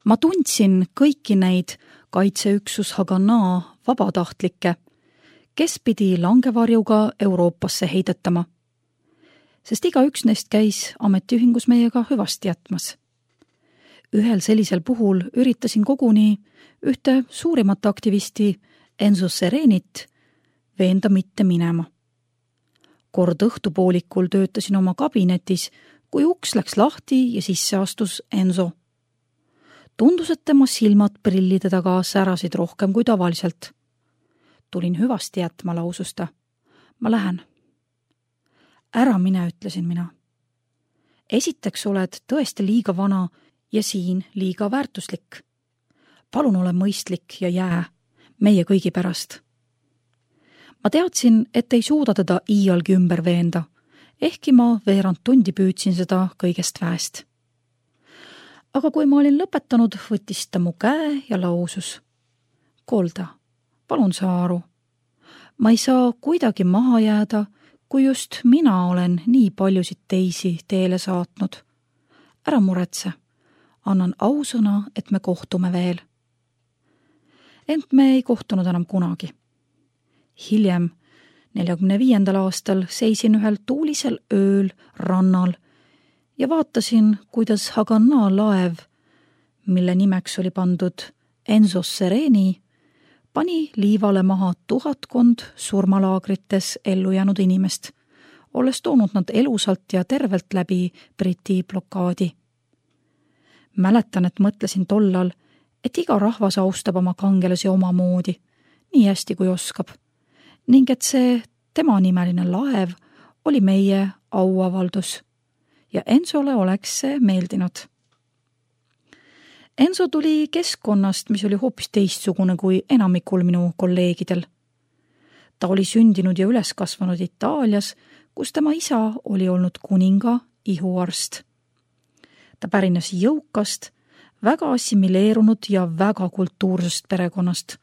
Ma tundsin kõiki neid kaitseüksus Haganah vabatahtlikke, kes pidi langevarjuga Euroopasse heidetama, sest igaüks neist käis ametiühingus meiega hüvasti jätmas. Ühel sellisel puhul üritasin koguni ühte suurimat aktivisti Enzo Serenit veenda mitte minema. Kord õhtupoolikul töötasin oma kabinetis, kui uks läks lahti ja sisse astus Enzo. Tundus, et tema silmad prillide taga särasid rohkem kui tavaliselt. Tulin hüvasti jätma, lausus ta. Ma lähen. Ära mine, ütlesin mina. Esiteks oled tõesti liiga vana ja siin liiga väärtuslik. Palun ole mõistlik ja jää meie kõigi pärast. Ma teadsin, et ei suuda teda iialgi ümber veenda, ehkki ma veerand tundi püüdsin seda kõigest väest. Aga kui ma olin lõpetanud, võttis ta mu käe ja lausus. Kolda, palun saa aru. Ma ei saa kuidagi maha jääda, kui just mina olen nii paljusid teisi teele saatnud. Ära muretse. Annan ausõna, et me kohtume veel. Ent me ei kohtunud enam kunagi. Hiljem, 45. aastal seisin ühel tuulisel ööl rannal ja vaatasin, kuidas Haganah laev, mille nimeks oli pandud Enzo Sereni, pani liivale maha 1000 surmalaagrites ellu jäänud inimest, olles toonud nad elusalt ja tervelt läbi Briti blokaadi. Mäletan, et mõtlesin tollal, et iga rahvas austab oma kangelasi omamoodi, nii hästi kui oskab, ning et see temanimeline laev oli meie auavaldus ja Enzole oleks see meeldinud. Enzo tuli keskkonnast, mis oli hoopis teistsugune kui enamikul minu kolleegidel. Ta oli sündinud ja üles kasvanud Itaalias, kus tema isa oli olnud kuninga ihuarst. Ta pärines jõukast, väga assimileerunud ja väga kultuursest perekonnast.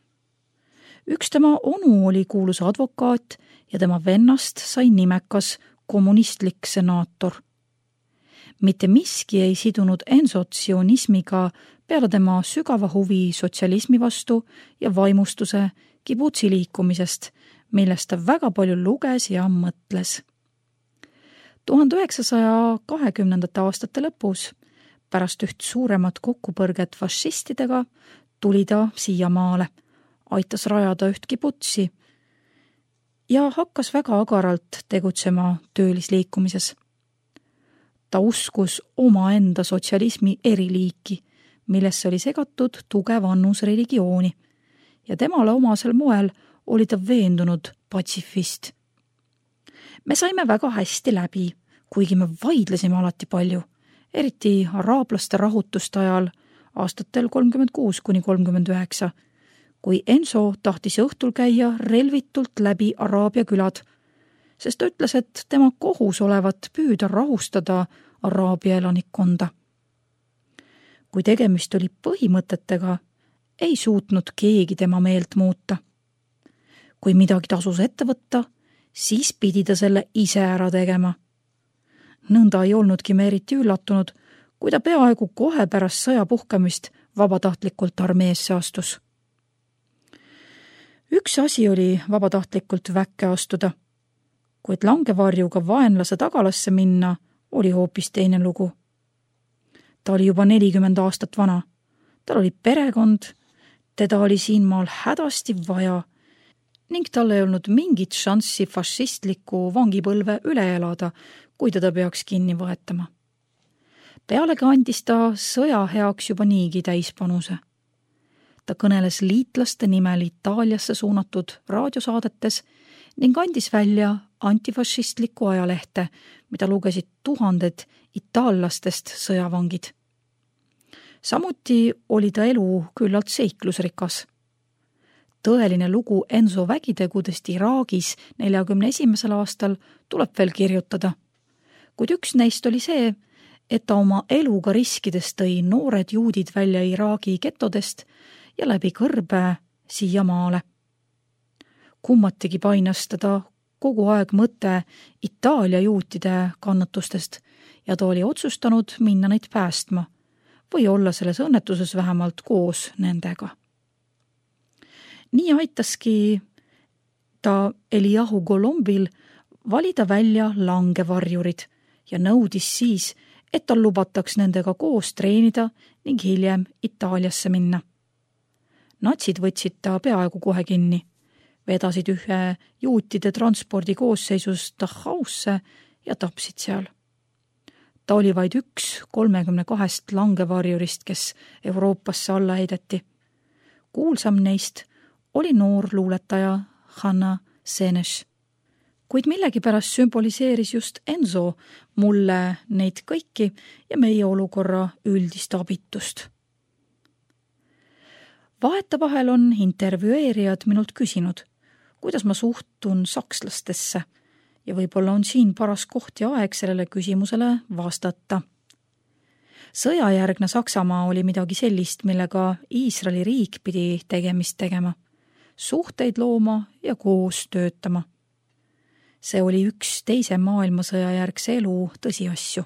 Üks tema onu oli kuulus advokaat ja tema vennast sai nimekas kommunistlik senaator. Mitte miski ei sidunud Enzot sionismiga peale tema sügava huvi sotsialismi vastu ja vaimustuse kibutsi liikumisest, millest ta väga palju luges ja mõtles. 1920. aastate lõpus, pärast üht suuremat kokkupõrget fašistidega, tuli ta siia maale, aitas rajada üht kibutsi ja hakkas väga agaralt tegutsema töölisliikumises. Ta uskus omaenda sotsialismi eriliiki, millesse oli segatud tugev annus religiooni ja temale omasel moel oli ta veendunud patsifist. Me saime väga hästi läbi, kuigi me vaidlesime alati palju, eriti araablaste rahutuste ajal aastatel 36–39, kui Enzo tahtis õhtul käia relvitult läbi Araabia külad, sest ta ütles, et tema kohus olevat püüda rahustada Araabia elanikkonda. Kui tegemist oli põhimõtetega, ei suutnud keegi tema meelt muuta. Kui midagi tasus ette võtta, siis pidi ta selle ise ära tegema. Nõnda ei olnudki me eriti üllatunud, kui ta peaaegu kohe pärast sõja puhkemist vabatahtlikult armeesse astus. Üks asi oli vabatahtlikult väkke astuda, kuid langevarjuga vaenlase tagalasse minna oli hoopis teine lugu. Ta oli juba 40 aastat vana, tal oli perekond, teda oli siinmaal hädasti vaja ning tal ei olnud mingit šanssi fašistliku vangipõlve üle elada, kui teda peaks kinni võetama. Pealegi andis ta sõja heaks juba niigi täispanuse. Ta kõneles liitlaste nimel Itaaliasse suunatud raadiosaadetes ning andis välja antifašistlikku ajalehte, mida lugesid 1000 itaallastest sõjavangid. Samuti oli ta elu küllalt seiklusrikas. Tõeline lugu Enzo vägitegudest Iraagis 41. aastal tuleb veel kirjutada, kuid üks neist oli see, et ta oma eluga riskides tõi noored juudid välja Iraagi getodest ja läbi kõrbe siia maale. Kummatigi painas teda kogu aeg mõte Itaalia juutide kannatustest ja ta oli otsustanud minna neid päästma, või olla selles õnnetuses vähemalt koos nendega. Nii aitaski ta Eliahu Golombil valida välja langevarjurid ja nõudis siis, et tal lubataks nendega koos treenida ning hiljem Itaaliasse minna. Natsid võtsid ta peaaegu kohe kinni, vedasid ühe juutide transpordi koosseisus Dachausse ja tapsid seal. Ta oli vaid üks 32 langevarjurist, kes Euroopasse alla heideti. Kuulsam neist oli noor luuletaja Hanna Senes. Kuid millegipärast sümboliseeris just Enzo mulle neid kõiki ja meie olukorra üldist abitust. Vahetevahel on intervjueerijad minult küsinud, kuidas ma suhtun sakslastesse ja võib-olla on siin paras koht ja aeg sellele küsimusele vastata. Sõjajärgne Saksamaa oli midagi sellist, millega Iisraeli riik pidi tegemist tegema, suhteid looma ja koos töötama. See oli üks teise maailmasõja järgse elu tõsiasju.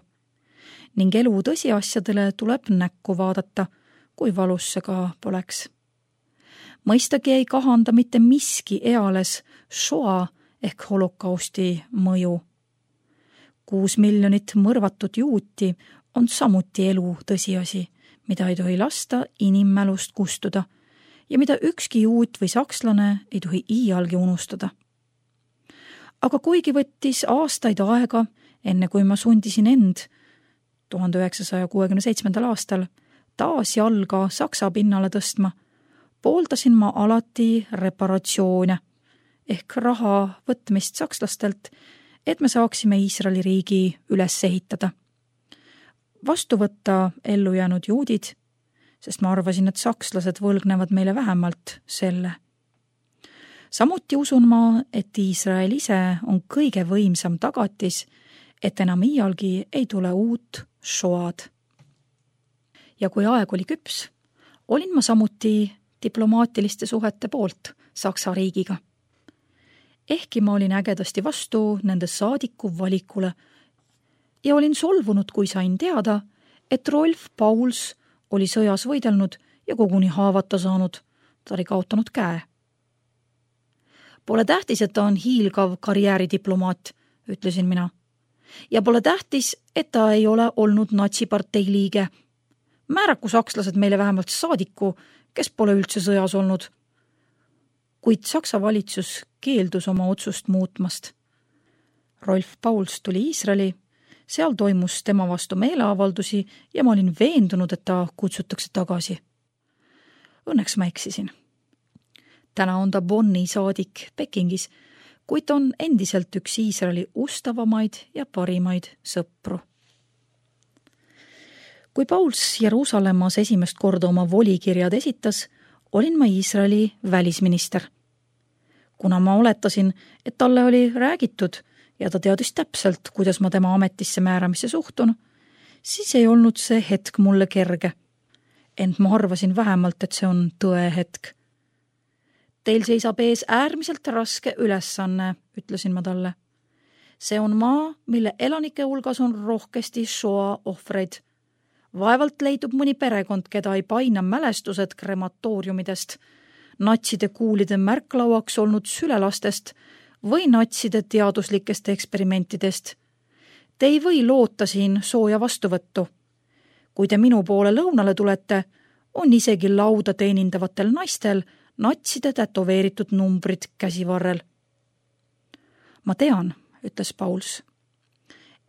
Ning elu tõsiasjadele tuleb näkku vaadata, kui valus see ka poleks. Mõistagi ei kahanda mitte miski eales Shoa ehk holokausti mõju. 6 miljonit mõrvatud juuti on samuti elu tõsiasi, mida ei tohi lasta inimmälust kustuda ja mida ükski juut või sakslane ei tohi iialgi unustada. Aga kuigi võttis aastaid aega, enne kui ma sundisin end 1967. aastal taas jalga Saksa pinnale tõstma, pooldasin ma alati reparatsioone ehk raha võtmist sakslastelt, et me saaksime Iisraeli riigi üles ehitada. Vastu võtta ellu jäänud juudid, sest ma arvasin, et sakslased võlgnevad meile vähemalt selle. Samuti usun ma, et Iisrael ise on kõige võimsam tagatis, et enam iialgi ei tule uut Shoad. Ja kui aeg oli küps, olin ma samuti diplomaatiliste suhete poolt Saksa riigiga. Ehkki ma olin ägedasti vastu nende saadiku valikule ja olin solvunud, kui sain teada, et Rolf Pauls oli sõjas võidelnud ja koguni haavata saanud, ta oli kaotanud käe. Pole tähtis, et ta on hiilgav karjääridiplomaat, ütlesin mina. Ja pole tähtis, et ta ei ole olnud natsipartei liige. Määraku sakslased meile vähemalt saadiku, kes pole üldse sõjas olnud. Kuid Saksa valitsus keeldus oma otsust muutmast. Rolf Pauls tuli Iisraeli, seal toimus tema vastu meeleavaldusi ja ma olin veendunud, et ta kutsutakse tagasi. Õnneks ma eksisin. Täna on ta Bonni saadik Pekingis, kuid on endiselt üks Iisraeli ustavamaid ja parimaid sõpru. Kui Pauls Jeruusalemmas esimest korda oma volikirjad esitas, olin ma Iisraeli välisminister. Kuna ma oletasin, et talle oli räägitud ja ta teadis täpselt, kuidas ma tema ametisse määramisse suhtun, siis ei olnud see hetk mulle kerge. Ent ma arvasin vähemalt, et see on tõe hetk. Teil seisab ees äärmiselt raske ülesanne, ütlesin ma talle. See on maa, mille elanike hulgas on rohkesti Shoa ohvreid. Vaevalt leidub mõni perekond, keda ei paina mälestused krematooriumidest, natside kuulide märklauaks olnud sülelastest või natside teaduslikest eksperimentidest. Te ei või loota siin sooja vastuvõttu. Kui te minu poole lõunale tulete, on isegi lauda teenindavatel naistel natside tätoveeritud numbrid käsivarrel. Ma tean, ütles Pauls.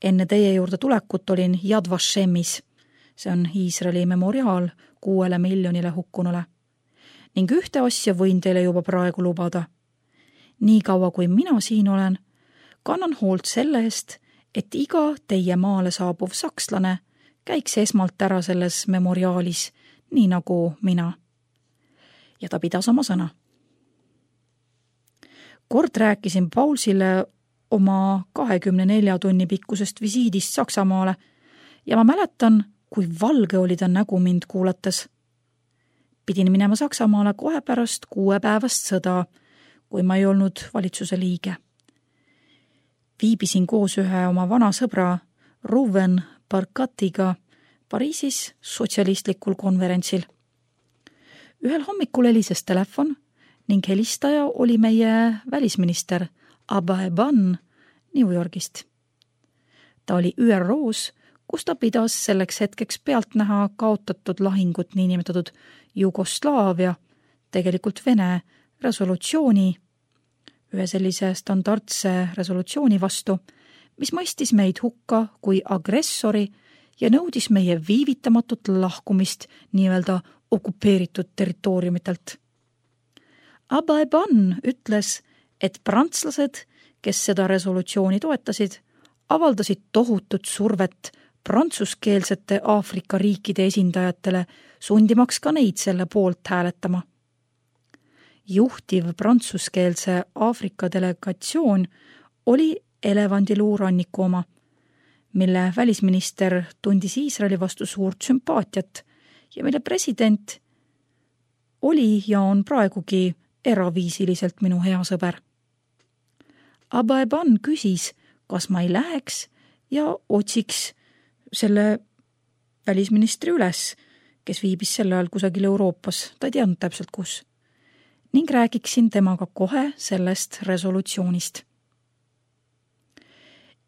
Enne teie juurde tulekut olin Yad Vashemis. See on Iisraeli memoriaal 6 miljonile hukkunule. Ning ühte asja võin teile juba praegu lubada. Nii kaua kui mina siin olen, kannan hoolt selle eest, et iga teie maale saabuv sakslane käiks esmalt ära selles memoriaalis, nii nagu mina. Ja ta pidas oma sõna. Kord rääkisin Paulsile oma 24 tunni pikkusest visiidist Saksamaale ja ma mäletan, kui valge oli ta nägu mind kuulates. Pidin minema Saksamaale kohe pärast 6-päevast sõda, kui ma ei olnud valitsuse liige. Viibisin koos ühe oma vana sõbra Ruven Barkatiga Pariisis sotsialistlikul konverentsil. Ühel hommikul helises telefon ning helistaja oli meie välisminister Abba Eban New Yorgist. Ta oli ÜRO-s, kus ta pidas selleks hetkeks pealt näha kaotatud lahingut niinimetatud Jugoslaavia, tegelikult Vene resolutsiooni, ühe sellise standardse resolutsiooni vastu, mis mõistis meid hukka kui agressori ja nõudis meie viivitamatut lahkumist nii-öelda okupeeritud territooriumitelt. Abba Eban ütles, et prantslased, kes seda resolutsiooni toetasid, avaldasid tohutut survet prantsuskeelsete Aafrika riikide esindajatele, sundimaks ka neid selle poolt hääletama. Juhtiv prantsuskeelse Aafrika delegatsioon oli Elevandiluu ranniku oma, mille välisminister tundis Iisraeli vastu suurt sümpaatiat ja mille president oli ja on praegugi eraviisiliselt minu hea sõber. Abba Eban küsis, kas ma ei läheks ja otsiks selle välisministri üles, kes viibis sel ajal kusagil Euroopas, ta ei teadnud täpselt kus, ning räägiksin temaga kohe sellest resolutsioonist.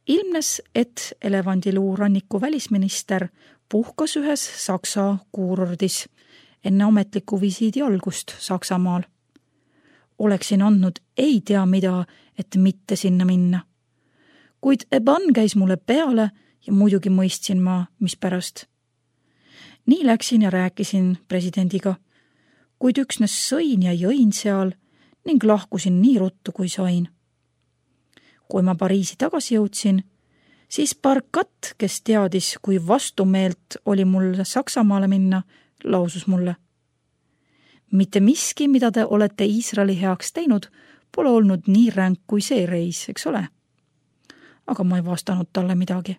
Ilmnes, et Elevandiluu ranniku välisminister puhkas ühes Saksa kuurordis enne ametliku visiidi algust Saksamaal. Oleksin andnud ei tea mida, et mitte sinna minna. Kuid Eban käis mulle peale ja muidugi mõistsin ma, mis pärast. Nii läksin ja rääkisin presidendiga, kuid üksnes sõin ja jõin seal ning lahkusin nii ruttu, kui sain. Kui ma Pariisi tagasi jõudsin, siis Barkat, kes teadis, kui vastumeelt oli mul Saksamaale minna, lausus mulle. Mitte miski, mida te olete Iisraeli heaks teinud, pole olnud nii ränk kui see reis, eks ole? Aga ma ei vastanud talle midagi.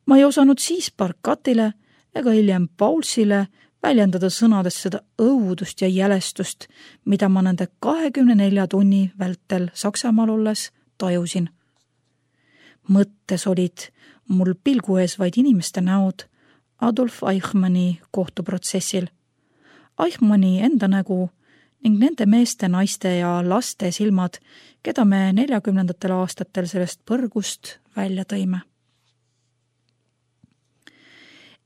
Ma ei osanud siis Barkatile ega hiljem Paulsile väljendada sõnades seda õudust ja jälestust, mida ma nende 24 tunni vältel Saksamaal olles tajusin. Mõttes olid mul pilgu ees vaid inimeste näod Adolf Eichmanni kohtuprotsessil. Eichmanni enda nägu ning nende meeste, naiste ja laste silmad, keda me 40. aastatel sellest põrgust välja tõime.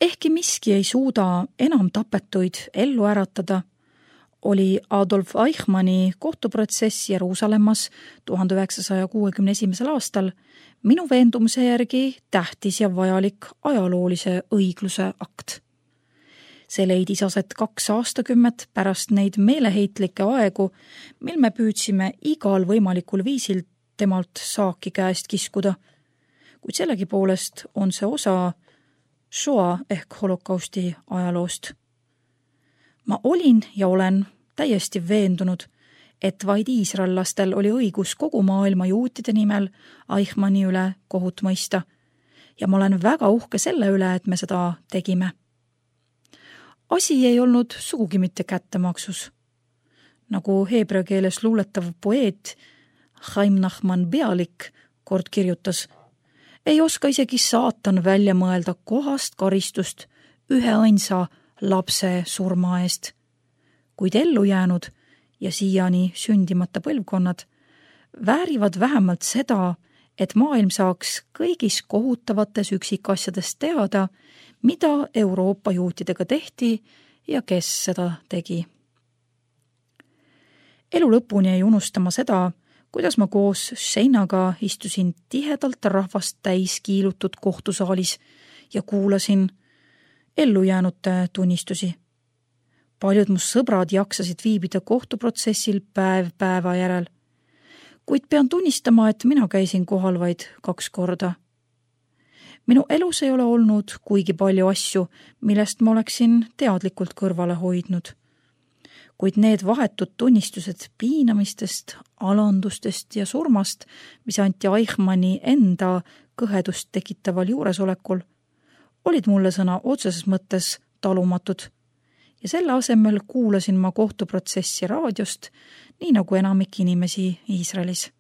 Ehkki miski ei suuda enam tapetuid ellu äratada, oli Adolf Eichmanni kohtuprotsess Jeruusalemmas 1961. aastal minu veendumuse järgi tähtis ja vajalik ajaloolise õigluse akt. See leidis aset 2 aastakümmet pärast neid meeleheitlikke aegu, mil me püüdsime igal võimalikul viisil temalt saaki käest kiskuda, kuid sellegipoolest on see osa Shoa ehk holokausti ajaloost. Ma olin ja olen täiesti veendunud, et vaid iisraellastel oli õigus kogu maailma juutide nimel Eichmanni üle kohut mõista ja ma olen väga uhke selle üle, et me seda tegime. Asi ei olnud sugugi mitte kättemaksus. Nagu heebrea keeles luuletav poeet Chaim Nachman Bialik kord kirjutas, ei oska isegi saatan välja mõelda kohast karistust üheainsa lapse surma eest, kuid ellu jäänud ja siiani sündimata põlvkonnad väärivad vähemalt seda, et maailm saaks kõigis kohutavates üksikasjades teada, mida Euroopa juutidega tehti ja kes seda tegi. Elu lõpuni ei unustama seda, kuidas ma koos Sheinaga istusin tihedalt rahvast täis kiilutud kohtusaalis ja kuulasin ellujäänute tunnistusi. Paljud mu sõbrad jaksasid viibida kohtuprotsessil päev päeva järel, kuid pean tunnistama, et mina käisin kohal vaid 2 korda. Minu elus ei ole olnud kuigi palju asju, millest ma oleksin teadlikult kõrvale hoidnud. Kuid need vahetud tunnistused piinamistest, alandustest ja surmast, mis anti Eichmanni enda kõhedust tekitaval juuresolekul, olid mulle sõna otseses mõttes talumatud ja selle asemel kuulasin ma kohtuprotsessi raadiost, nii nagu enamik inimesi Iisraelis.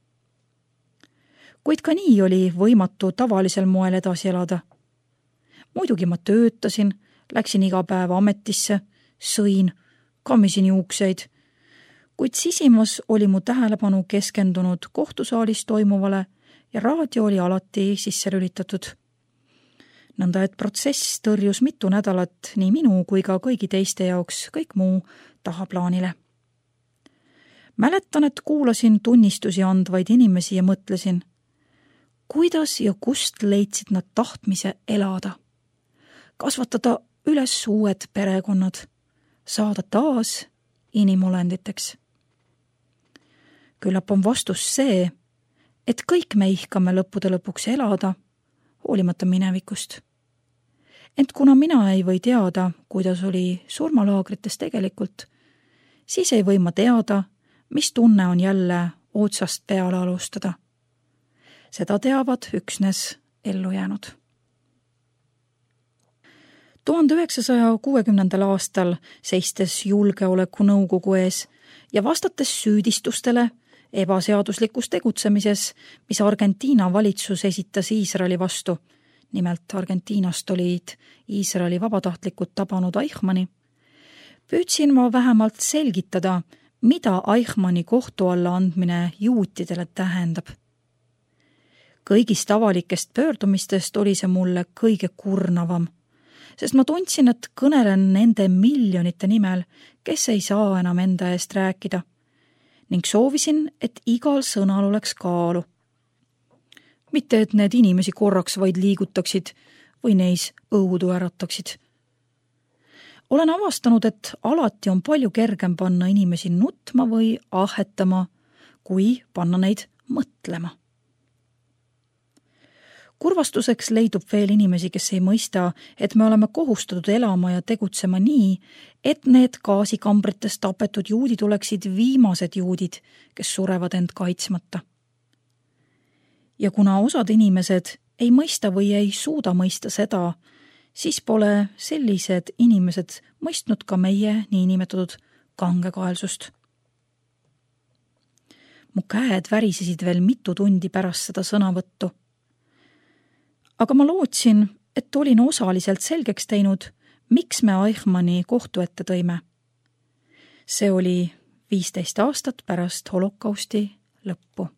Kuid ka nii oli võimatu tavalisel moel edasi elada. Muidugi ma töötasin, läksin iga päev ametisse, sõin, kammisin juukseid, kuid sisimas oli mu tähelepanu keskendunud kohtusaalis toimuvale ja raadio oli alati sisse lülitatud. Nõnda, et protsess tõrjus mitu nädalat nii minu kui ka kõigi teiste jaoks kõik muu tahaplaanile. Mäletan, et kuulasin tunnistusi andvaid inimesi ja mõtlesin, kuidas ja kust leidsid nad tahtmise elada, kasvatada üles uued perekonnad, saada taas inimolenditeks. Küllap on vastus see, et kõik me ihkame lõppude lõpuks elada, hoolimata minevikust. Ent kuna mina ei või teada, kuidas oli surmalaagrites tegelikult, siis ei või ma teada, mis tunne on jälle otsast peale alustada. Seda teavad üksnes ellu jäänud. 1960. aastal seistes julgeolekunõukogu ees ja vastates süüdistustele ebaseaduslikus tegutsemises, mis Argentiina valitsus esitas Iisraeli vastu, nimelt Argentiinast olid Iisraeli vabatahtlikud tabanud Eichmanni, püüdsin ma vähemalt selgitada, mida Eichmanni kohtu alla andmine juutidele tähendab. Kõigist avalikest pöördumistest oli see mulle kõige kurnavam, sest ma tundsin, et kõnelen nende miljonite nimel, kes ei saa enam enda eest rääkida, ning soovisin, et igal sõnal oleks kaalu. Mitte, et need inimesi korraks vaid liigutaksid või neis õudu ärataksid. Olen avastanud, et alati on palju kergem panna inimesi nutma või ahetama, kui panna neid mõtlema. Kurvastuseks leidub veel inimesi, kes ei mõista, et me oleme kohustatud elama ja tegutsema nii, et need gaasikambrites tapetud juudid oleksid viimased juudid, kes surevad end kaitsmata. Ja kuna osad inimesed ei mõista või ei suuda mõista seda, siis pole sellised inimesed mõistnud ka meie niinimetatud kangekaelsust. Mu käed värisesid veel mitu tundi pärast seda sõnavõttu. Aga ma lootsin, et olin osaliselt selgeks teinud, miks me Eichmanni kohtu ette tõime. See oli 15 aastat pärast holokausti lõppu.